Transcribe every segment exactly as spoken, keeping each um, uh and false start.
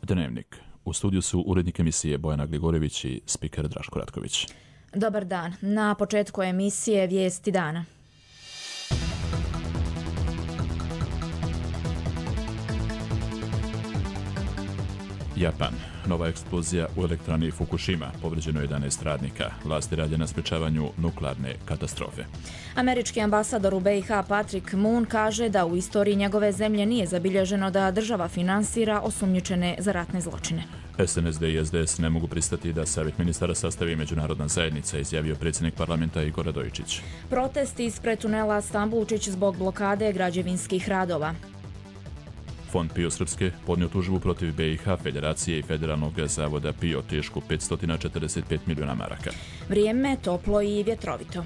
Dnevnik. U studiju su urednik emisije Bojana Gligorjević i spiker Draško Ratković. Dobar dan. Na početku emisije Vijesti dana. Japan. Nova eksplozija u elektrani Fukushima. Povrijeđeno jedanaest radnika. Vlasti rade na sprečavanju nuklearne katastrofe. Američki ambasador u B i H Patrick Moon kaže da u istoriji njegove zemlje nije zabilježeno da država finansira osumnjičene za ratne zločine. S N S D i S D S ne mogu pristati da savjet ministara sastavi međunarodna zajednica, izjavio predsjednik parlamenta Igor Radojičić. Protesti ispred tunela Stambulčić zbog blokade građevinskih radova. Fond PIO Srpske podnio tužbu protiv B i H Federacije i Federalnog zavoda PIO tešku petsto četrdeset pet milijuna maraka. Vrijeme toplo i vjetrovito.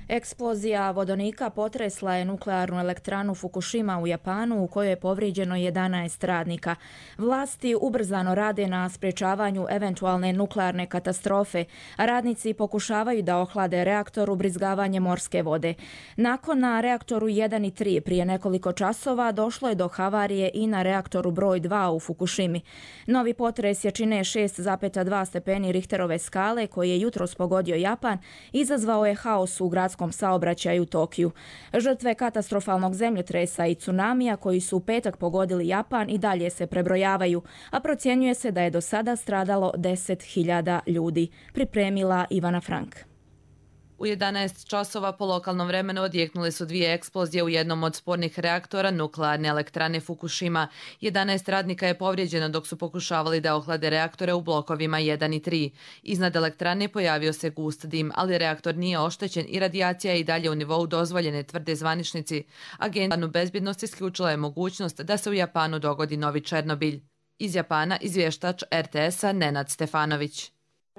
Eksplozija vodonika potresla je nuklearnu elektranu Fukushima u Japanu u kojoj je povrijeđeno jedanaest radnika. Vlasti ubrzano rade na sprječavanju eventualne nuklearne katastrofe, a radnici pokušavaju da ohlade reaktor ubrizgavanjem morske vode. Nakon na reaktoru jedan i tri prije nekoliko časova došlo je do havarije i na reaktoru broj dva u Fukushimi. Novi potres jačine šest zarez dva stepeni Richterove skale koji je jutros pogodio Japan izazvao je haos u gradskom saobraćaju u Tokiju. Žrtve katastrofalnog zemljotresa i tsunamija koji su u petak pogodili Japan i dalje se prebrojavaju, a procjenjuje se da je do sada stradalo deset hiljada ljudi. Pripremila Ivana Frank. U jedanaest časova po lokalnom vremenu odjeknule su dvije eksplozije u jednom od spornih reaktora nuklearne elektrane Fukushima. jedanaest radnika je povrijeđeno dok su pokušavali da ohlade reaktore u blokovima jedan i tri. Iznad elektrane pojavio se gust dim, ali reaktor nije oštećen i radijacija je i dalje u nivou dozvoljene, tvrde zvaničnici. Agencija bezbjednost isključila je mogućnost da se u Japanu dogodi novi Černobilj. Iz Japana izvještač R T S-a Nenad Stefanović.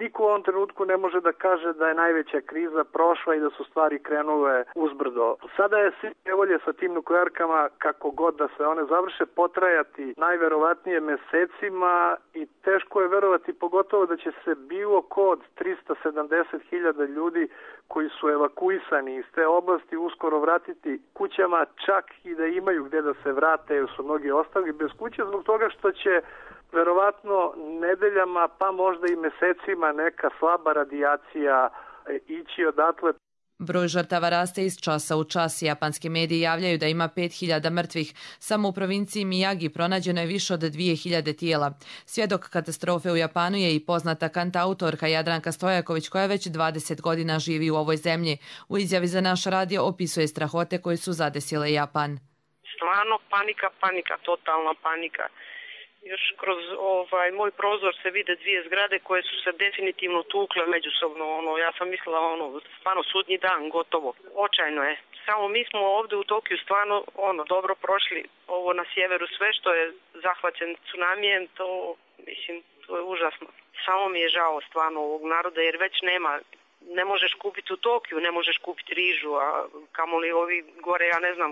Niko u ovom trenutku ne može da kaže da je najveća kriza prošla i da su stvari krenule uzbrdo. Sada je svi nevolje sa tim nuklearkama, kako god da se one završe, potrajati najverovatnije mesecima i teško je verovati pogotovo da će se bilo ko od trista sedamdeset hiljada ljudi koji su evakuisani iz te oblasti uskoro vratiti kućama, čak i da imaju gdje da se vrate, jer su mnogi ostali bez kuće zbog toga što će verovatno nedeljama, pa možda i mesecima neka slaba radijacija ići odatle. Broj žrtava raste iz časa u čas. Japanski mediji javljaju da ima pet hiljada mrtvih. Samo u provinciji Miyagi pronađeno je više od dvije hiljade tijela. Svjedok katastrofe u Japanu je i poznata kantautorka Jadranka Stojaković koja već dvadeset godina živi u ovoj zemlji. U izjavi za naš radio opisuje strahote koje su zadesile Japan. Stvarno panika, panika, totalna panika. Još kroz ovaj moj prozor se vide dvije zgrade koje su se definitivno tukle međusobno. Ono, ja sam mislila ono, stvarno sudnji dan, gotovo. Očajno je. Samo mi smo ovdje u Tokiju stvarno ono dobro prošli. Ovo na sjeveru sve što je zahvaćen tsunamijem, to mislim, to je užasno. Samo mi je žao stvarno ovog naroda jer već nema, ne možeš kupiti u Tokiju, ne možeš kupiti rižu, a kamoli ovi gore, ja ne znam,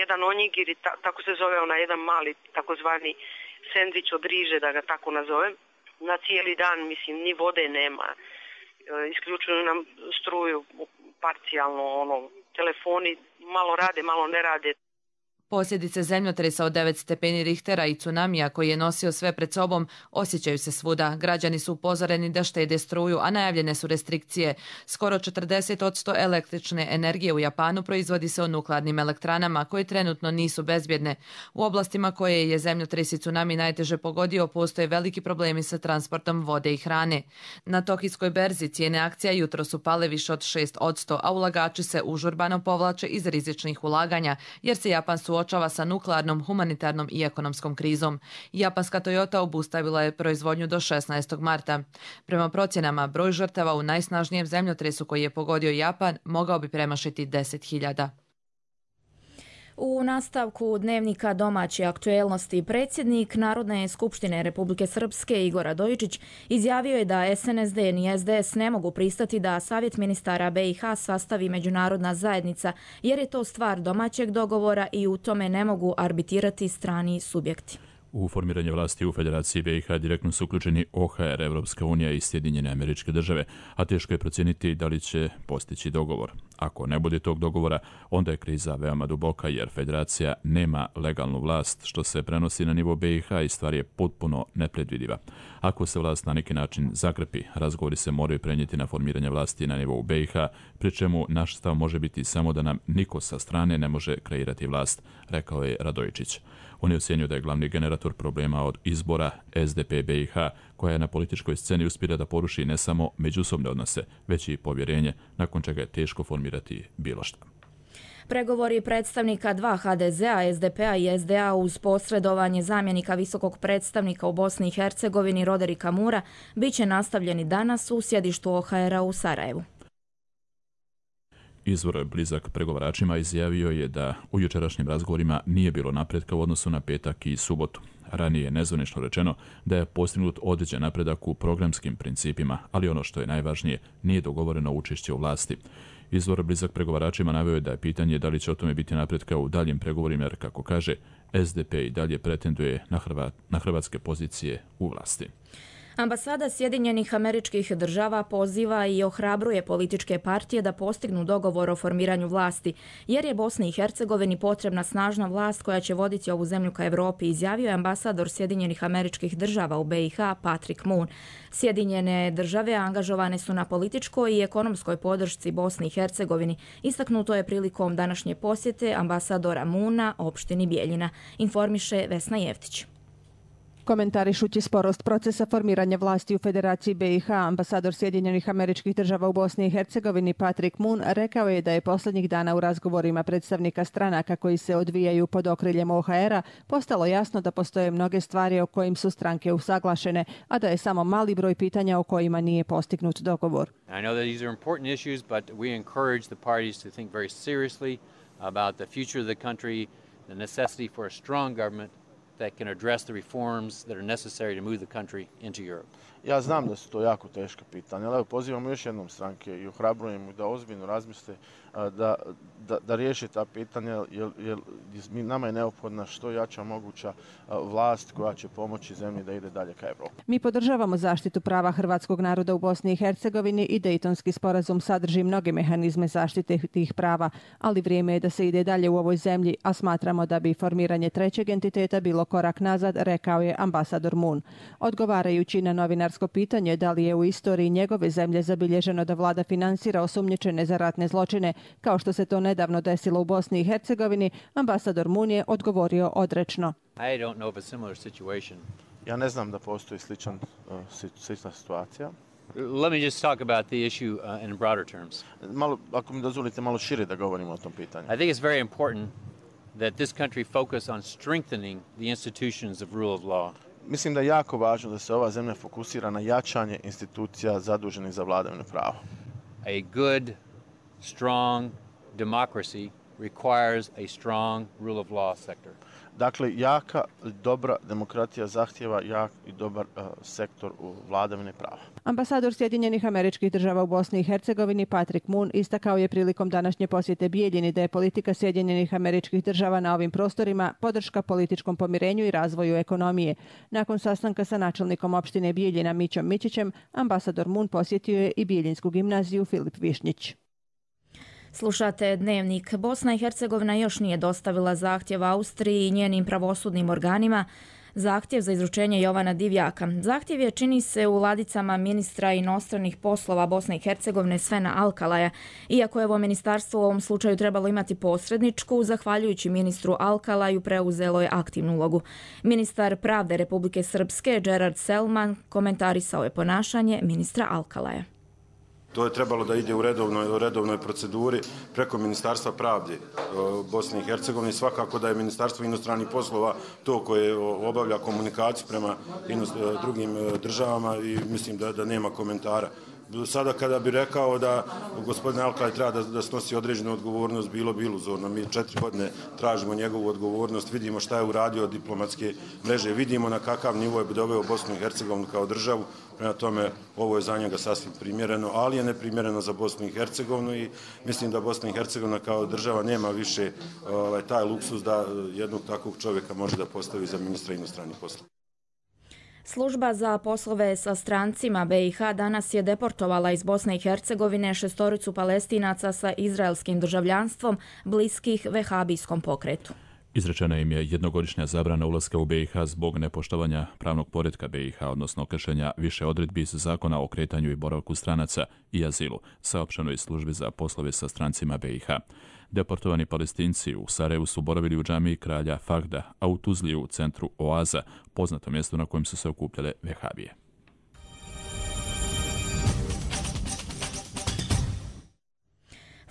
jedan onigiri, ta, tako se zove onaj jedan mali takozvani sendvič od riže, da ga tako nazovem, na cijeli dan, mislim, ni vode nema. E, isključuju nam struju parcijalno, ono, telefoni malo rade, malo ne rade. Posljedice zemljotresa od devet stepeni Richtera i tsunamija koji je nosio sve pred sobom osjećaju se svuda. Građani su upozoreni da štede struju, a najavljene su restrikcije. Skoro četrdeset posto električne energije u Japanu proizvodi se u nuklearnim elektranama koje trenutno nisu bezbjedne. U oblastima koje je zemljotres i tsunami najteže pogodio postoje veliki problemi sa transportom vode i hrane. Na tokijskoj berzi cijene akcija jutro su pale više od šest posto, a ulagači se užurbano povlače iz rizičnih ulaganja jer se Japan suočava suočava sa nuklearnom, humanitarnom i ekonomskom krizom. Japanska Toyota obustavila je proizvodnju do šesnaestog marta. Prema procjenama, broj žrtava u najsnažnijem zemljotresu koji je pogodio Japan mogao bi premašiti deset hiljada. U nastavku dnevnika domaće aktuelnosti predsjednik Narodne skupštine Republike Srpske Igor Radojičić izjavio je da S N S D ni S D S ne mogu pristati da Savjet ministara B i H sastavi međunarodna zajednica jer je to stvar domaćeg dogovora i u tome ne mogu arbitirati strani subjekti. U formiranje vlasti u Federaciji B i H direktno su uključeni O H R, Evropska unija i Sjedinjene Američke Države, a teško je procijeniti da li će postići dogovor. Ako ne bude tog dogovora, onda je kriza veoma duboka jer federacija nema legalnu vlast, što se prenosi na nivo B i H i stvar je potpuno nepredvidiva. Ako se vlast na neki način zakrpi, razgovori se moraju prenijeti na formiranje vlasti na nivou B i H, pri čemu naš stav može biti samo da nam niko sa strane ne može kreirati vlast, rekao je Radojičić. On je ocjenio da je glavni generator problema od izbora S D P B i H, koja je na političkoj sceni uspjela da poruši ne samo međusobne odnose, već i povjerenje, nakon čega je teško formirati bilo šta. Pregovori predstavnika dva H D Z-a, S D P-a i S D A uz posredovanje zamjenika visokog predstavnika u Bosni i Hercegovini Roderika Mura bit će nastavljeni danas u sjedištu O H R-a u Sarajevu. Izvor blizak pregovaračima izjavio je da u jučerašnjim razgovorima nije bilo napretka u odnosu na petak i subotu. Ranije je nezvanično rečeno da je postignut određen napredak u programskim principima, ali ono što je najvažnije, nije dogovoreno učešće u vlasti. Izvor blizak pregovaračima naveo je da je pitanje da li će o tome biti napretka u daljim pregovorima, jer kako kaže, S D P i dalje pretenduje na, Hrvat, na hrvatske pozicije u vlasti. Ambasada Sjedinjenih Američkih Država poziva i ohrabruje političke partije da postignu dogovor o formiranju vlasti, jer je Bosni i Hercegovini potrebna snažna vlast koja će voditi ovu zemlju ka Evropi, izjavio je ambasador Sjedinjenih Američkih Država u B i H Patrick Moon. Sjedinjene države angažovane su na političkoj i ekonomskoj podršci Bosni i Hercegovini, istaknuto je prilikom današnje posjete ambasadora Moona opštini Bijeljina, informiše Vesna Jevtić. Komentarišući sporost procesa formiranja vlasti u Federaciji B i H, ambasador Sjedinjenih Američkih Država u Bosni i Hercegovini Patrick Moon rekao je da je posljednjih dana u razgovorima predstavnika stranaka koji se odvijaju pod okriljem O H R-a postalo jasno da postoje mnoge stvari o kojim su stranke usaglašene, a da je samo mali broj pitanja o kojima nije postignut dogovor. I know that these are important issues, but we encourage the parties to think very seriously about the future of the country, the necessity for a strong government that can address the reforms that are necessary to move the country into Europe. Ja znam da su to jako teška pitanja, ali pozivamo još jednom stranke i ohrabrujem da ozbiljno razmisle da, da, da riješe ta pitanja, jer, jer nama je neophodna što jača moguća vlast koja će pomoći zemlji da ide dalje ka Evropi. Mi podržavamo zaštitu prava hrvatskog naroda u Bosni i Hercegovini i Dejtonski sporazum sadrži mnoge mehanizme zaštite tih prava, ali vrijeme je da se ide dalje u ovoj zemlji, a smatramo da bi formiranje trećeg entiteta bilo korak nazad, rekao je ambasador Moon. Odgovarajući na novinarsko pitanje da li je u istoriji njegove zemlje zabilježeno da vlada finansira osumnjičene za ratne zločine, kao što se to nedavno desilo u Bosni i Hercegovini, ambasador Moon je odgovorio odrečno. I don't know of a similar situation. Ja ne znam da postoji sličan, uh, slična situacija. Let me just talk about the issue uh, in broader terms. Malo, ako mi dozvolite malo šire da govorimo o tom pitanju. I think it's very important that this country focus on strengthening the institutions of rule of law. Mislim da je jako važno da se ova zemlja fokusira na jačanje institucija zaduženih za vladavinu prava. A good, strong democracy requires a strong rule of law sector. Dakle, jaka, dobra demokratija zahtjeva jak i dobar uh, sektor u vladavini prava. Ambasador Sjedinjenih Američkih Država u Bosni i Hercegovini Patrick Moon istakao je prilikom današnje posjete Bijeljini da je politika Sjedinjenih Američkih Država na ovim prostorima podrška političkom pomirenju i razvoju ekonomije. Nakon sastanka sa načelnikom opštine Bijeljina Mićom Mićićem, ambasador Moon posjetio je i Bijeljinsku gimnaziju Filip Višnjić. Slušate Dnevnik. Bosna i Hercegovina još nije dostavila zahtjev Austriji i njenim pravosudnim organima zahtjev za izručenje Jovana Divjaka. Zahtjev je, čini se, u ladicama ministra inostranih poslova Bosne i Hercegovine Svena Alkalaja. Iako je ovo ministarstvo u ovom slučaju trebalo imati posredničku, zahvaljujući ministru Alkalaju preuzelo je aktivnu ulogu. Ministar pravde Republike Srpske Gerard Selman komentarisao je ponašanje ministra Alkalaja. To je trebalo da ide u redovnoj, u redovnoj proceduri preko Ministarstva pravde Bosne i Hercegovine. Svakako da je Ministarstvo inostranih poslova to koje obavlja komunikaciju prema drugim državama i mislim da, da nema komentara. Sada kada bi rekao da gospodin Alkalaj treba da, da snosi određenu odgovornost, bilo bi iluzorno. Mi četiri godine tražimo njegovu odgovornost, vidimo šta je uradio od diplomatske mreže, vidimo na kakav nivo je doveo Bosnu i Hercegovinu kao državu. Prema tome, ovo je za njega sasvim primjereno, ali je neprimjereno za Bosnu i Hercegovinu i mislim da Bosna i Hercegovina kao država nema više ovaj, taj luksus da jednog takvog čovjeka može da postavi za ministra inostranih poslova. Služba za poslove sa strancima B i H danas je deportovala iz Bosne i Hercegovine šestoricu Palestinaca sa izraelskim državljanstvom bliskih vehabijskom pokretu. Izrečena im je jednogodišnja zabrana ulaska u B i H zbog nepoštovanja pravnog poretka B i H, odnosno kršenja više odredbi iz zakona o kretanju i boravku stranaca i azilu, saopšteno iz službi za poslove sa strancima B i H. Deportovani Palestinci u Sarajevu su boravili u džamiji kralja Fahda, a u Tuzli u centru Oaza, poznato mjesto na kojem su se okupljale vehabije.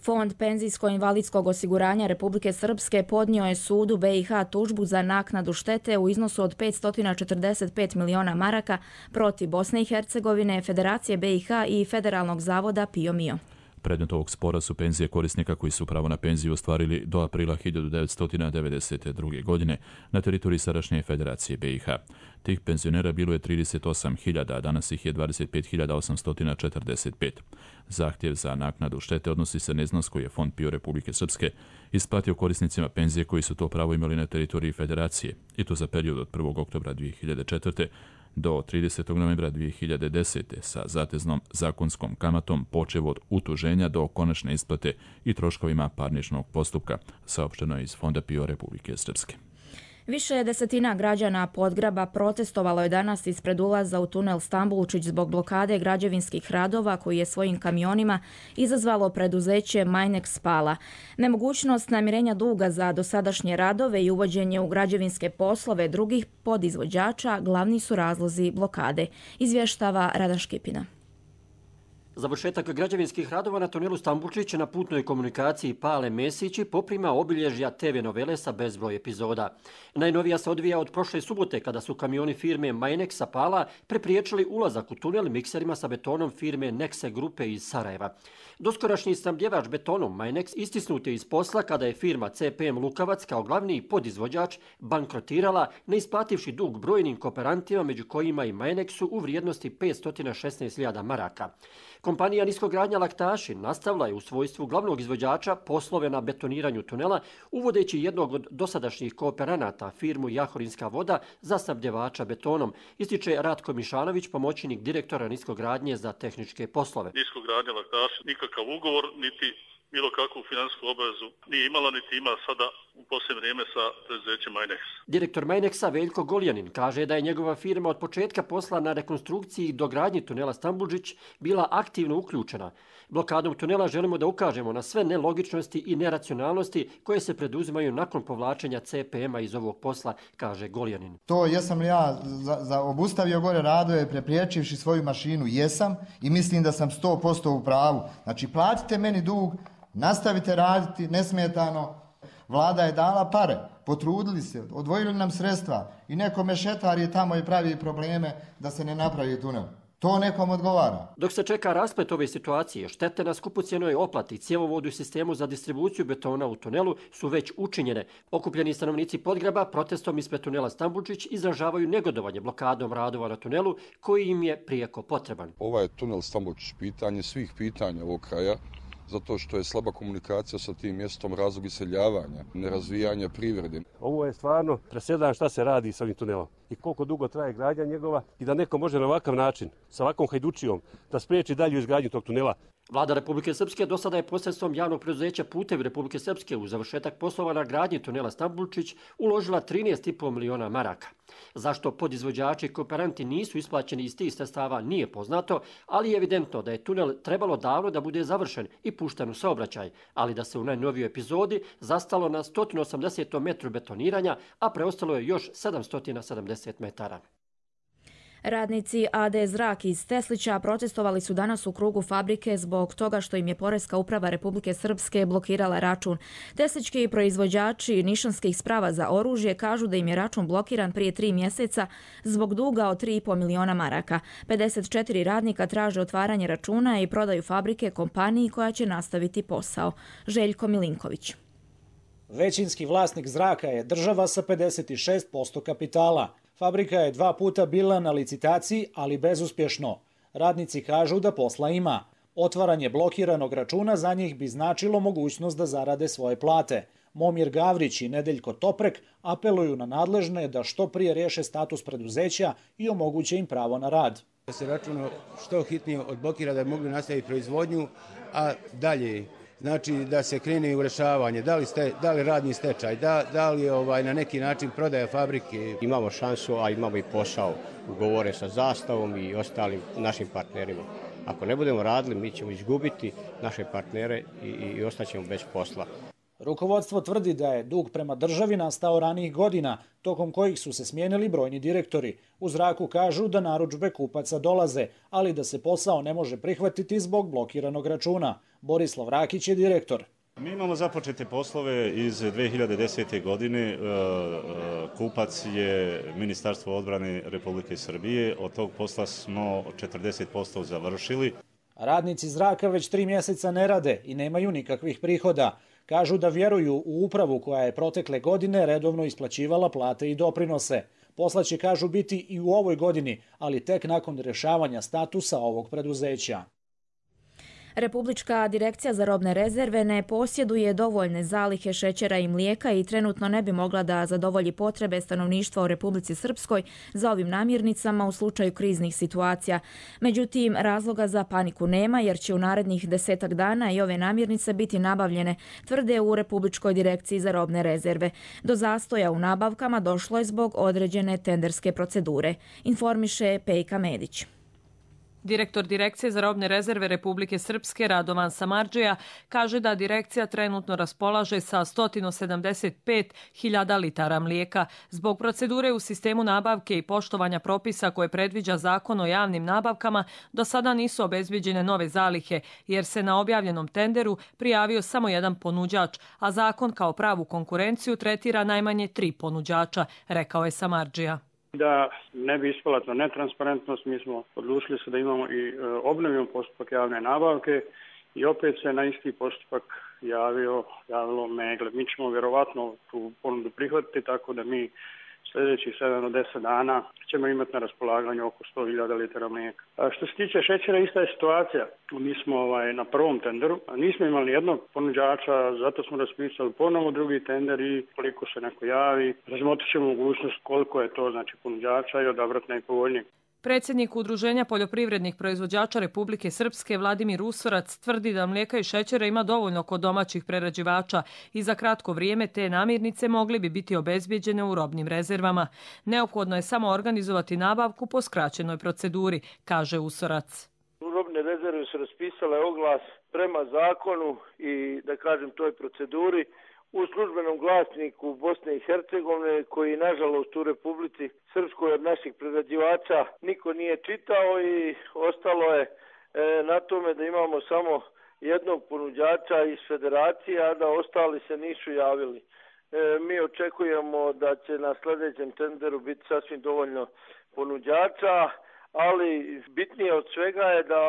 Fond penzijsko-invalidskog osiguranja Republike Srpske podnio je sudu B i H tužbu za naknadu štete u iznosu od petsto četrdeset pet miliona maraka protiv Bosne i Hercegovine, Federacije B i H i Federalnog zavoda Pio Mio. Predmet ovog spora su penzije korisnika koji su pravo na penziju ostvarili do aprila hiljadu devetsto devedeset druge. godine na teritoriji sadašnje Federacije B i H. Tih penzionera bilo je trideset osam hiljada, a danas ih je dvadeset pet hiljada osamsto četrdeset pet. Zahtjev za naknadu štete odnosi se na iznos koji je Fond Pio Republike Srpske isplatio korisnicima penzije koji su to pravo imali na teritoriji Federacije, i to za period od prvog oktobra dvije hiljade četvrte. do tridesetog novembra dvije hiljade desete. sa zateznom zakonskom kamatom počev od utuženja do konačne isplate i troškovima parničnog postupka, saopšteno je iz Fonda Pio Republike Srpske. Više desetina građana Podgraba protestovalo je danas ispred ulaza u tunel Stambulčić zbog blokade građevinskih radova koji je svojim kamionima izazvalo preduzeće Majnex Pala. Nemogućnost namirenja duga za dosadašnje radove i uvođenje u građevinske poslove drugih podizvođača glavni su razlozi blokade, izvještava Radan Škipina. Završetak građevinskih radova na tunelu Stambulčić na putnoj komunikaciji Pale Mesići poprima obilježja te ve novele sa bezbroj epizoda. Najnovija se odvija od prošle subote kada su kamioni firme Majnexa Pala prepriječili ulazak u tunel mikserima sa betonom firme Nexe grupe iz Sarajeva. Doskorašnji snabdjevač betonom Majnex istisnut je iz posla kada je firma C P M Lukavac kao glavni podizvođač bankrotirala ne isplativši dug brojnim kooperantima među kojima i Majnexu u vrijednosti petsto šesnaest hiljada maraka. Kompanija Niskogradnja Laktaši nastavila je u svojstvu glavnog izvođača poslove na betoniranju tunela, uvodeći jednog od dosadašnjih kooperanata, firmu Jahorinska voda, za snabdjevača betonom, ističe Ratko Mišanović, pomoćnik direktora Niskogradnje za tehničke poslove. Niskogradnja Laktaši nikakav ugovor, niti bilo kakvu finansijsku obavezu nije imala, niti ima sada u posljednje vrijeme sa preduzećem Majnex. Direktor Majnexa Veljko Goljanin kaže da je njegova firma od početka posla na rekonstrukciji i dogradnji tunela Stambulčić bila aktivno uključena. Blokadom tunela želimo da ukažemo na sve nelogičnosti i neracionalnosti koje se preduzimaju nakon povlačenja C P M-a iz ovog posla, kaže Goljanin. To jesam li ja za, za obustavio gore radove prepriječivši svoju mašinu? Jesam i mislim da sam sto posto u pravu. Znači platite meni dug, nastavite raditi nesmetano. Vlada je dala pare, potrudili se, odvojili nam sredstva i neko mešetar je tamo i pravi probleme da se ne napravi tunel. To nekom odgovara. Dok se čeka rasplet ove situacije, štete na skupocjenoj oplati, cjevovodu i sistemu za distribuciju betona u tunelu su već učinjene. Okupljeni stanovnici Podgraba protestom ispred tunela Stambulčić izražavaju negodovanje blokadom radova na tunelu koji im je prijeko potreban. Ovaj tunel Stambulčić pitanje svih pitanja ovog kraja, zato što je slaba komunikacija sa tim mjestom, razlog iseljavanja, nerazvijanja privrede. Ovo je stvarno presedan šta se radi s ovim tunelom i koliko dugo traje gradnja njegova i da neko može na ovakav način, sa ovakvom hajdučijom, da spriječi dalju izgradnju tog tunela. Vlada Republike Srpske do sada je posredstvom javnog preduzeća Putevi Republike Srpske u završetak poslova na gradnji tunela Stambulčić uložila trinaest i po miliona maraka. Zašto podizvođači i kooperanti nisu isplaćeni iz tih sredstava nije poznato, ali je evidentno da je tunel trebalo davno da bude završen i pušten u saobraćaj, ali da se u najnovijoj epizodi zastalo na sto osamdeset metru betoniranja, a preostalo je još sedamsto sedamdeset metara. Radnici A D Zrak iz Teslića protestovali su danas u krugu fabrike zbog toga što im je Poreska uprava Republike Srpske blokirala račun. Teslički proizvođači nišanskih sprava za oružje kažu da im je račun blokiran prije tri mjeseca zbog duga od tri i po miliona maraka. pedeset četiri radnika traže otvaranje računa i prodaju fabrike kompaniji koja će nastaviti posao. Željko Milinković. Većinski vlasnik Zraka je država sa pedeset šest posto kapitala. Fabrika je dva puta bila na licitaciji, ali bezuspješno. Radnici kažu da posla ima. Otvaranje blokiranog računa za njih bi značilo mogućnost da zarade svoje plate. Momir Gavrić i Nedeljko Toprek apeluju na nadležne da što prije riješe status preduzeća i omoguće im pravo na rad. Da se računa što hitnije odblokira da bi mogli nastaviti proizvodnju, a dalje znači da se krene u rešavanje, da li, ste, da li radni stečaj, da, da li ovaj, na neki način prodaja fabrike. Imamo šansu, a imamo i posao, ugovore sa Zastavom i ostalim našim partnerima. Ako ne budemo radili, mi ćemo izgubiti naše partnere i, i, i ostaćemo bez posla. Rukovodstvo tvrdi da je dug prema državi nastao ranijih godina, tokom kojih su se smijenili brojni direktori. U zraku kažu da narudžbe kupaca dolaze, ali da se posao ne može prihvatiti zbog blokiranog računa. Borislav Rakić je direktor. Mi imamo započete poslove iz dve hiljade desete. godine. Kupac je Ministarstvo odbrane Republike Srbije. Od tog posla smo četrdeset posto završili. Radnici zraka već tri mjeseca ne rade i nemaju nikakvih prihoda. Kažu da vjeruju u upravu koja je protekle godine redovno isplaćivala plate i doprinose. Posla će, kažu, biti i u ovoj godini, ali tek nakon rješavanja statusa ovog preduzeća. Republička direkcija za robne rezerve ne posjeduje dovoljne zalihe šećera i mlijeka i trenutno ne bi mogla da zadovolji potrebe stanovništva u Republici Srpskoj za ovim namirnicama u slučaju kriznih situacija. Međutim, razloga za paniku nema jer će u narednih desetak dana i ove namirnice biti nabavljene, tvrde u Republičkoj direkciji za robne rezerve. Do zastoja u nabavkama došlo je zbog određene tenderske procedure, informiše Pejka Medić. Direktor Direkcije za robne rezerve Republike Srpske Radovan Samardžija kaže da direkcija trenutno raspolaže sa sto sedamdeset pet hiljada litara mlijeka. Zbog procedure u sistemu nabavke i poštovanja propisa koje predviđa Zakon o javnim nabavkama, do sada nisu obezbeđene nove zalihe, jer se na objavljenom tenderu prijavio samo jedan ponuđač, a zakon kao pravu konkurenciju tretira najmanje tri ponuđača, rekao je Samardžija. Da ne bi ispala to netransparentnost, mi smo odlučili se da imamo i e, obnovimo postupak javne nabavke i opet se na isti postupak javio, javilo Megle. Mi ćemo vjerovatno tu ponudu prihvatiti, tako da mi sljedećih sedam do deset dana ćemo imati na raspolaganju oko sto hiljada litara mlijeka. A što se tiče šećera, ista je situacija. Mi smo ovaj, na prvom tenderu, nismo imali jednog ponuđača, zato smo raspisali ponovo drugi tender i koliko se neko javi, razmotrit ćemo mogućnost koliko je to znači ponuđača i odabrati najpovoljnijeg. Predsjednik Udruženja poljoprivrednih proizvođača Republike Srpske Vladimir Usorac tvrdi da mlijeka i šećera ima dovoljno kod domaćih prerađivača i za kratko vrijeme te namirnice mogli bi biti obezbijeđene u robnim rezervama. Neophodno je samo organizovati nabavku po skraćenoj proceduri, kaže Usorac. Robne rezerve su raspisale oglas prema zakonu i, da kažem, toj proceduri u službenom glasniku Bosne i Hercegovine, koji nažalost u Republici Srpskoj od naših prerađivača niko nije čitao i ostalo je e, na tome da imamo samo jednog ponuđača iz federacije, a da ostali se nisu javili. E, mi očekujemo da će na sljedećem tenderu biti sasvim dovoljno ponuđača, ali bitnije od svega je da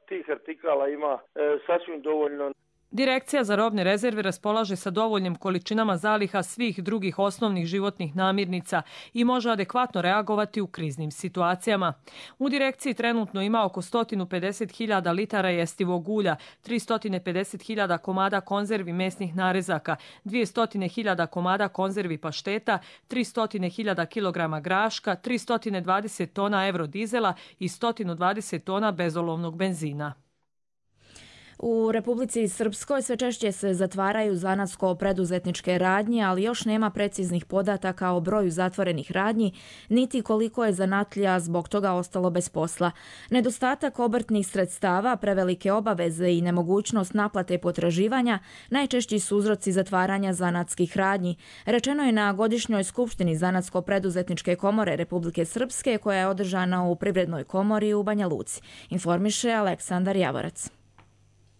tih artikala ima e, sasvim dovoljno. Direkcija za robne rezerve raspolaže sa dovoljnim količinama zaliha svih drugih osnovnih životnih namirnica i može adekvatno reagovati u kriznim situacijama. U direkciji trenutno ima oko sto pedeset hiljada litara jestivog ulja, tristo pedeset hiljada komada konzervi mesnih narezaka, dvjesto hiljada komada konzervi pašteta, tristo hiljada kilograma graška, tristo dvadeset tona eurodizela i sto dvadeset tona bezolovnog benzina. U Republici Srpskoj sve češće se zatvaraju zanatsko-preduzetničke radnje, ali još nema preciznih podataka o broju zatvorenih radnji, niti koliko je zanatlija zbog toga ostalo bez posla. Nedostatak obrtnih sredstava, prevelike obaveze i nemogućnost naplate potraživanja najčešći su uzroci zatvaranja zanatskih radnji. Rečeno je na godišnjoj skupštini Zanatsko-preduzetničke komore Republike Srpske, koja je održana u Privrednoj komori u Banja Luci, informiše Aleksandar Javorac.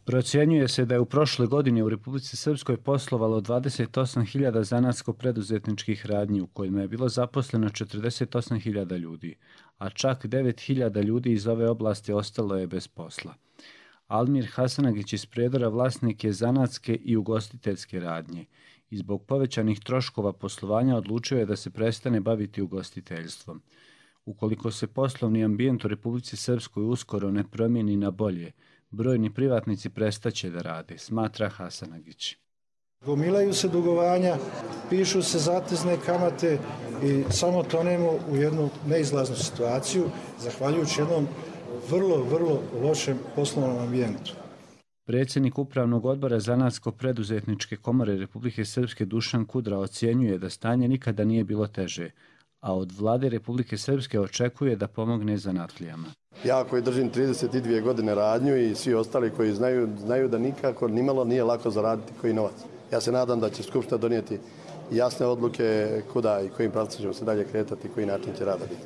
Procjenjuje se da je u prošloj godini u Republici Srpskoj poslovalo dvadeset osam hiljada zanatsko-preduzetničkih radnji u kojima je bilo zaposleno četrdeset osam hiljada ljudi, a čak devet hiljada ljudi iz ove oblasti ostalo je bez posla. Almir Hasanagić iz Prijedora vlasnik je zanatske i ugostiteljske radnje i zbog povećanih troškova poslovanja odlučio je da se prestane baviti ugostiteljstvom. Ukoliko se poslovni ambijent u Republici Srpskoj uskoro ne promijeni na bolje, brojni privatnici prestaće da rade, smatra Hasanagić. Gomilaju se dugovanja, pišu se zatezne kamate i samo tonemo u jednu neizlaznu situaciju, zahvaljujući jednom vrlo, vrlo lošem poslovnom ambijentu. Predsjednik Upravnog odbora Zanatsko-preduzetničke komore Republike Srpske Dušan Kudra ocjenjuje da stanje nikada nije bilo teže, a od vlade Republike Srpske očekuje da pomogne zanatlijama. Ja koji držim trideset dvije godine radnju i svi ostali koji znaju, znaju da nikako nimalo nije lako zaraditi koji novac. Ja se nadam da će Skupština donijeti jasne odluke kuda i kojim pravcem ćemo se dalje kretati i koji način će rada biti.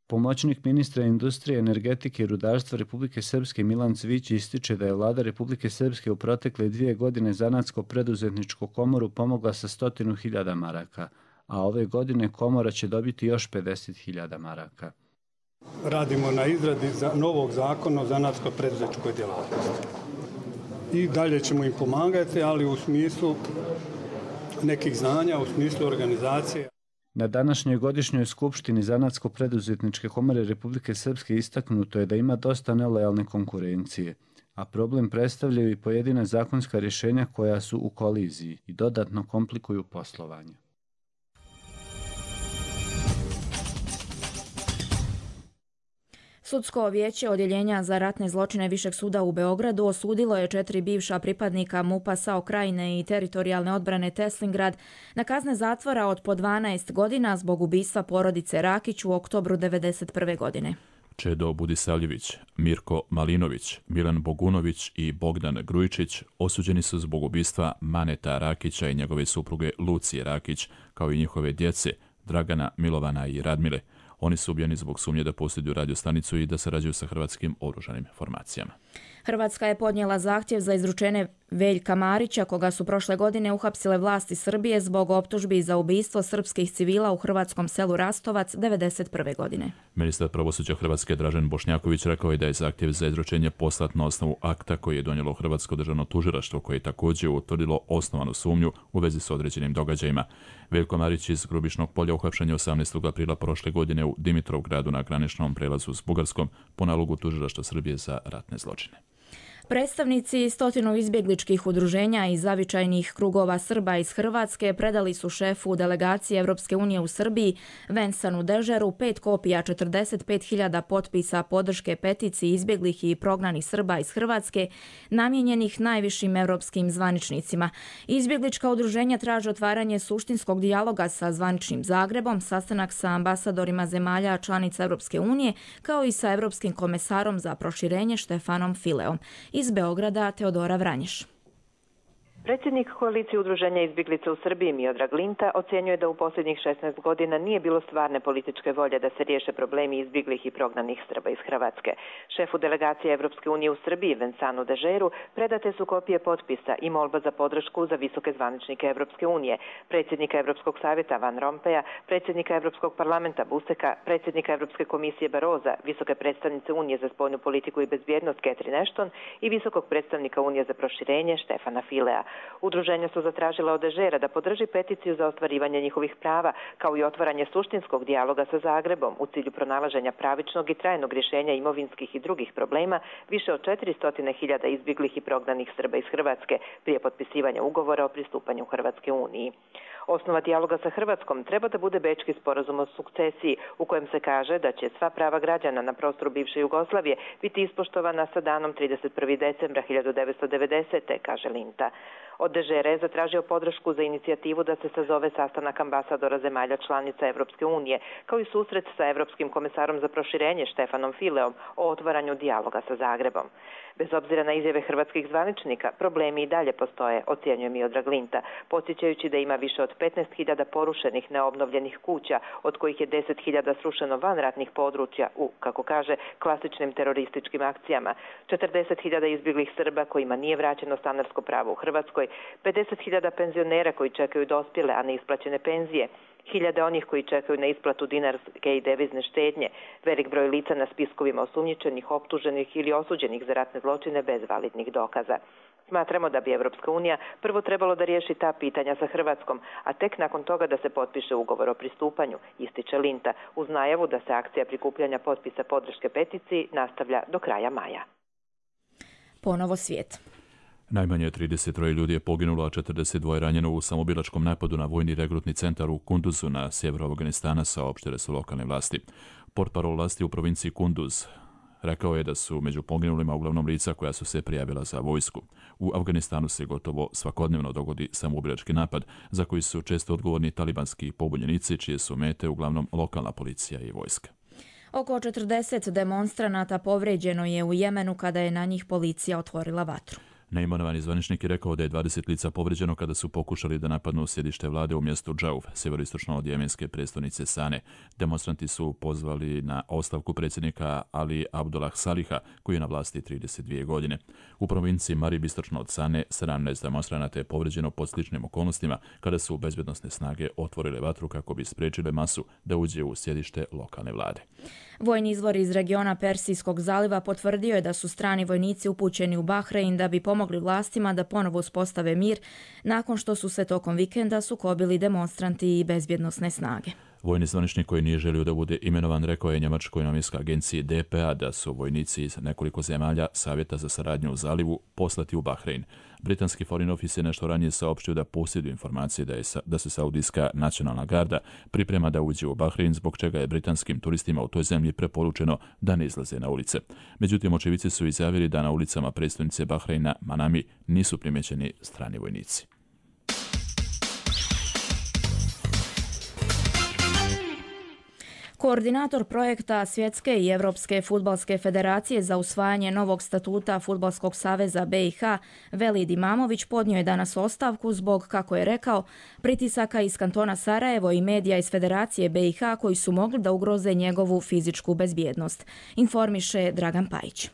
Pomoćnik ministra industrije, energetike i rudarstva Republike Srpske Milan Cvić ističe da je vlada Republike Srpske u protekle dvije godine Zanatsko-preduzetničku komoru pomogla sa stotinu hiljada maraka, a ove godine komora će dobiti još pedeset hiljada maraka. Radimo na izradi novog zakona o zanatsko-preduzetničkoj djelatnosti. I dalje ćemo im pomagati, ali u smislu nekih znanja, u smislu organizacije. Na današnjoj godišnjoj skupštini Zanatsko-preduzetničke komore Republike Srpske istaknuto je da ima dosta nelojalne konkurencije, a problem predstavljaju i pojedina zakonska rješenja koja su u koliziji i dodatno komplikuju poslovanje. Sudsko vijeće Odjeljenja za ratne zločine Višeg suda u Beogradu osudilo je četiri bivša pripadnika MUP-a SAO Krajine i teritorijalne odbrane Teslingrad na kazne zatvora od po dvanaest godina zbog ubistva porodice Rakić u oktobru devedeset prve godine. Čedo Budisavljević, Mirko Malinović, Milan Bogunović i Bogdan Grujičić osuđeni su zbog ubistva Maneta Rakića i njegove supruge Lucije Rakić, kao i njihove djece Dragana, Milovana i Radmile. Oni su ubijeni zbog sumnje da posjeduju radiostanicu i da sarađuju sa hrvatskim oružanim formacijama. Hrvatska je podnijela zahtjev za izručenje Veljka Marića, koga su prošle godine uhapsile vlasti Srbije zbog optužbi za ubistvo srpskih civila u hrvatskom selu Rastovac devedeset prve godine. Ministar pravosuđa Hrvatske Dražen Bošnjaković rekao je da je zahtjev za izručenje poslat na osnovu akta koji je donijelo Hrvatsko državno tužilaštvo, koje je također utvrdilo osnovanu sumnju u vezi s određenim događajima. Veljko Marić iz Grubišnog polja uhapšen je osamnaestog aprila prošle godine u Dimitrovgradu na graničnom prelazu s Bugarskom po nalogu tužilaštva Srbije za ratne zločine. Predstavnici stotinu izbjegličkih udruženja i zavičajnih krugova Srba iz Hrvatske predali su šefu delegacije Europske unije u Srbiji Vensanu Dežeru pet kopija četrdeset pet hiljada potpisa podrške peticiji izbjeglih i prognanih Srba iz Hrvatske namijenjenih najvišim europskim zvaničnicima. Izbjeglička udruženja traže otvaranje suštinskog dijaloga sa zvaničnim Zagrebom, sastanak sa ambasadorima zemalja članica Europske unije, kao i sa Europskim komesarom za proširenje Štefanom Fileom. Iz Beograda Teodora Vranješ. Predsjednik koalicije udruženja izbjeglica u Srbiji Miodrag Linta ocjenjuje da u posljednjih šesnaest godina nije bilo stvarne političke volje da se riješe problemi izbjeglih i prognanih Srba iz Hrvatske. Šefu delegacije Evropske unije u Srbiji Vensanu Dežeru predate su kopije potpisa i molba za podršku za visoke zvaničnike Evropske unije, predsjednika Evropskog savjeta Van Rompeja, predsjednika Evropskog parlamenta Buseka, predsjednika Evropske komisije Baroza, visoke predstavnice Unije za spoljnu politiku i bezbjednost Catherine Ashton i visokog predstavnika Unije za proširenje Štefana Filea. Udruženja su zatražila od Dežera da podrži peticiju za ostvarivanje njihovih prava, kao i otvaranje suštinskog dijaloga sa Zagrebom u cilju pronalaženja pravičnog i trajnog rješenja imovinskih i drugih problema više od četiristo hiljada izbjeglih i prognanih Srba iz Hrvatske prije potpisivanja ugovora o pristupanju Hrvatske Uniji. Osnova dijaloga sa Hrvatskom treba da bude Bečki sporazum o sukcesiji, u kojem se kaže da će sva prava građana na prostoru bivše Jugoslavije biti ispoštovana sa danom trideset prvog decembra hiljadu devetsto devedesete. kaže Linta. Od Dežera je zatražio podršku za inicijativu da se sazove sastanak ambasadora zemalja članica Evropske unije, kao i susret sa Evropskim komesarom za proširenje Štefanom Fileom o otvaranju dijaloga sa Zagrebom. Bez obzira na izjave hrvatskih zvaničnika, problemi i dalje postoje, ocjenjuje Miodrag Linta, podsjećajući da ima više od petnaest hiljada porušenih neobnovljenih kuća, od kojih je deset hiljada srušeno van ratnih područja u, kako kaže, klasičnim terorističkim akcijama, četrdeset hiljada izbjeglih Srba kojima nije vraćeno stanarsko pravo u Hrvatskoj, pedeset hiljada penzionera koji čekaju dospjele, a ne isplaćene penzije, hiljade onih koji čekaju na isplatu dinarske i devizne štednje, velik broj lica na spiskovima osumnjičenih, optuženih ili osuđenih za ratne zločine bez validnih dokaza. Smatramo da bi Evropska unija prvo trebalo da riješi ta pitanja sa Hrvatskom, a tek nakon toga da se potpiše ugovor o pristupanju, ističe Linta, uz najavu da se akcija prikupljanja potpisa podrške peticiji nastavlja do kraja maja. Ponovo svijet. Najmanje trideset troje ljudi je poginulo, a četrdeset dvoje ranjeno u samobilačkom napadu na vojni regrutni centar u Kunduzu na sjeveru Afganistana, saopštile su lokalne vlasti. Portparol vlasti u provinciji Kunduz rekao je da su među poginulima uglavnom lica koja su se prijavila za vojsku. U Afganistanu se gotovo svakodnevno dogodi samoubilački napad, za koji su često odgovorni talibanski pobunjenici, čije su mete uglavnom lokalna policija i vojska. Oko četrdeset demonstranata povređeno je u Jemenu kada je na njih policija otvorila vatru. Neimenovani zvaničnik je rekao da je dvadeset lica povređeno kada su pokušali da napadnu sjedište vlade u mjestu Džauf, sjeveroistočno od jemenske prestonice Sane. Demonstranti su pozvali na ostavku predsjednika Ali Abdullah Saliha, koji je na vlasti trideset dvije godine. U provinciji Marib istočno od Sane sedamnaest demonstranata je povređeno pod sličnim okolnostima kada su bezbednosne snage otvorile vatru kako bi spriječile masu da uđe u sjedište lokalne vlade. Vojni izvor iz regiona Persijskog zaliva potvrdio je da su strani vojnici upućeni u Bahrein da bi pomogli vlastima da ponovo uspostave mir nakon što su se tokom vikenda sukobili demonstranti i bezbjednosne snage. Vojni zvaničnik koji nije želio da bude imenovan rekao je njemačkoj novinskoj agenciji D P A da su vojnici iz nekoliko zemalja Savjeta za saradnju u zalivu poslati u Bahrein. Britanski Foreign Office je nešto ranije saopštio da posjeduje informacije da, je, da se Saudijska nacionalna garda priprema da uđe u Bahrein, zbog čega je britanskim turistima u toj zemlji preporučeno da ne izlaze na ulice. Međutim, očevici su izjavili da na ulicama prestonice Bahreina, Manami, nisu primjećeni strani vojnici. Koordinator projekta Svjetske i Evropske fudbalske federacije za usvajanje novog statuta Fudbalskog saveza B i H, Velid Imamović, podnio je danas ostavku zbog, kako je rekao, pritisaka iz kantona Sarajevo i medija iz Federacije B i H koji su mogli da ugroze njegovu fizičku bezbjednost, informiše Dragan Pajić.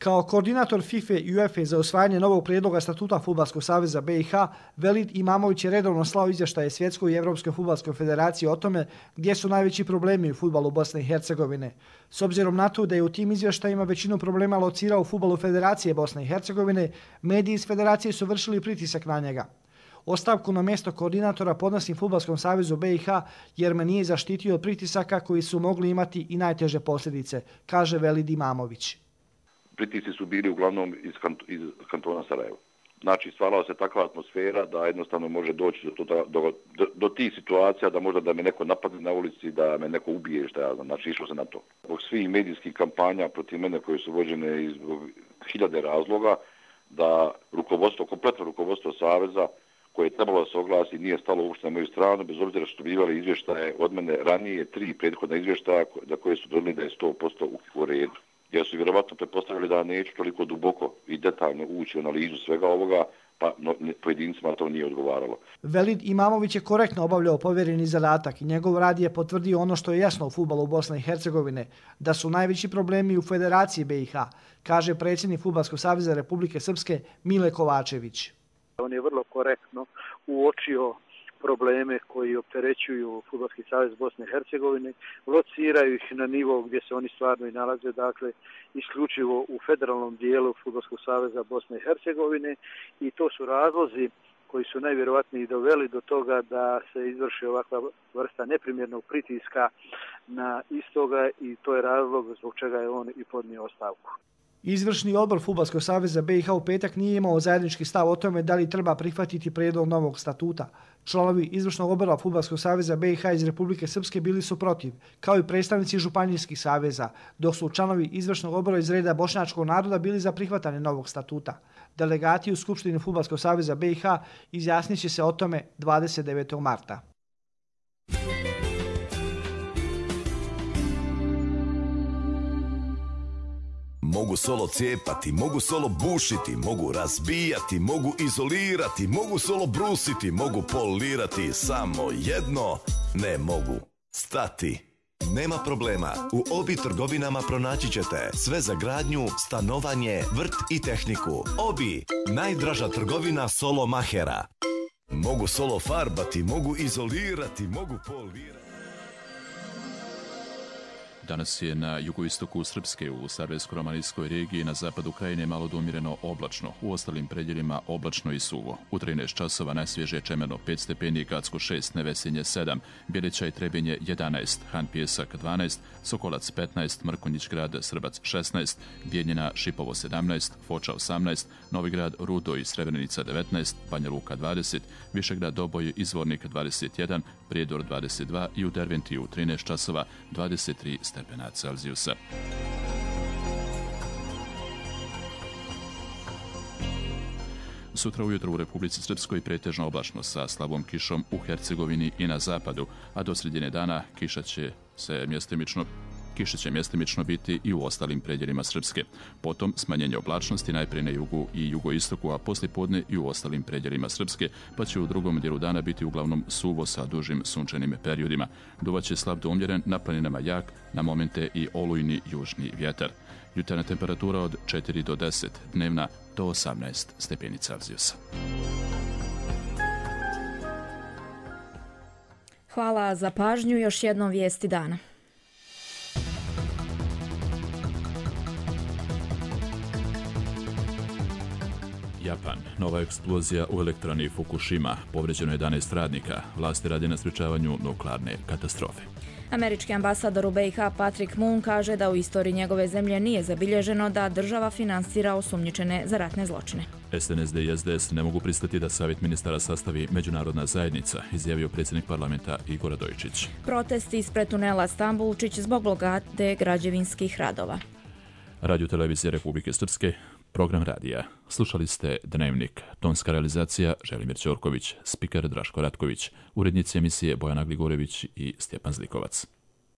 Kao koordinator FIFA i UEFA za usvajanje novog prijedloga statuta Fudbalskog saveza B i H, Velid Imamović je redovno slao izvještaje Svjetskoj i Evropskoj fudbalskoj federaciji o tome gdje su najveći problemi u fudbalu Bosne i Hercegovine. S obzirom na to da je u tim izvještajima većinu problema locirao u fudbalu Federacije Bosne i Hercegovine, mediji iz federacije su vršili pritisak na njega. Ostavku na mjesto koordinatora podnosim Fudbalskom savezu B i H jer me nije zaštitio od pritisaka koji su mogli imati i najteže posljedice, kaže Velid Imamović. Pritisci su bili uglavnom iz, kant, iz kantona Sarajeva. Znači, stvarala se takva atmosfera da jednostavno može doći do, do, do, do, do tih situacija da možda da me neko napadne na ulici, da me neko ubije, šta ja znam. Znači, išlo se na to. Zbog svih medijskih kampanja protiv mene koje su vođene iz hiljade razloga, da rukovodstvo, kompletno rukovodstvo Saveza, koje je trebalo da se oglasi, nije stalo uopšte na moju stranu, bez obzira što bivali izvještaje od mene ranije, tri prethodna izvještaja za koje su donijeli da je sto posto u redu. Jer su vjerovatno pretpostavili da neću toliko duboko i detaljno ući u analizu svega ovoga, pa no, pojedincima to nije odgovaralo. Velid Imamović je korektno obavljao povjereni zadatak i njegov rad je potvrdio ono što je jasno u fudbalu Bosne i Hercegovine, da su najveći problemi u Federaciji B i H, kaže predsjednik Fudbalskog saveza Republike Srpske Mile Kovačević. On je vrlo korektno uočio probleme koji opterećuju Fudbalski savez Bosne i Hercegovine, lociraju ih na nivo gdje se oni stvarno i nalaze, dakle isključivo u federalnom dijelu Fudbalskog saveza Bosne i Hercegovine, i to su razlozi koji su najvjerovatniji doveli do toga da se izvrši ovakva vrsta neprimjernog pritiska na istoga, i to je razlog zbog čega je on i podnio ostavku. Izvršni odbor Fudbalskog saveza B i H u petak nije imao zajednički stav o tome da li treba prihvatiti prijedlog novog statuta. Članovi izvršnog odbora Fudbalskog saveza B i H iz Republike Srpske bili su protiv, kao i predstavnici županijskih saveza, dok su članovi izvršnog odbora iz reda bošnjačkog naroda bili za prihvatanje novog statuta. Delegati u Skupštini Fudbalskog saveza B i H izjasnit će se o tome dvadeset devetog marta. Mogu solo cijepati, mogu solo bušiti, mogu razbijati, mogu izolirati, mogu solo brusiti, mogu polirati, samo jedno ne mogu stati. Nema problema, u Obi trgovinama pronaći ćete sve za gradnju, stanovanje, vrt i tehniku. Obi, najdraža trgovina solo mahera. Mogu solo farbati, mogu izolirati, mogu polirati. Danas je na jugoistoku Srpske u Sarajevsko-romanijskoj regiji na zapadu krajine malo do umjereno oblačno, u ostalim predjelima oblačno i suvo. U trinaest časova najsvježije Čemerno pet stepeni, Gacko šest, Nevesinje sedam, Bjelića i Trebinje jedanaest, Han Pijesak dvanaest, Sokolac petnaest, Mrkonjić grad Srbac šesnaest, Bijeljina Šipovo sedamnaest, Foča osamnaest, Novigrad Rudo i Srebrenica devetnaest, Banja Luka dvadeset, Višegrad Doboj Izvornik dvadeset jedan, Prijedor dvadeset dva i u Derventiju trinaest časova dvadeset tri stepena Celzijusa. Sutra ujutro u Republici Srpskoj pretežno oblačno sa slabom kišom u Hercegovini i na zapadu, a do sredine dana kiša će se mjestimično Kiša će mjestimično biti i u ostalim predjelima Srpske. Potom smanjenje oblačnosti najprije na jugu i jugoistoku, a poslijepodne i u ostalim predjelima Srpske, pa će u drugom dijelu dana biti uglavnom suvo sa dužim sunčanim periodima. Duvaće slab do umjeren, na planinama jak, na momente i olujni južni vjetar. Jutarnja temperatura od četiri do deset, dnevna do osamnaest stepeni Celzijusa. Hvala za pažnju. Još jednom vijesti dana. Japan. Nova eksplozija u elektrani Fukushima. Povređeno jedanaest radnika. Vlasti rade na sprečavanju nuklearne katastrofe. Američki ambasador u B i H Patrick Moon kaže da u istoriji njegove zemlje nije zabilježeno da država finansira osumnjičene za ratne zločine. S N S D i S D S ne mogu pristati da savjet ministara sastavi međunarodna zajednica, izjavio predsjednik parlamenta Igor Radojičić. Protesti ispred tunela Stambulčić zbog blokade građevinskih radova. Radio televizija Republike Srpske, program radija. Slušali ste Dnevnik. Tonska realizacija Želimir Ćorković, spiker Draško Ratković, urednici emisije Bojana Gligorević i Stjepan Zlikovac.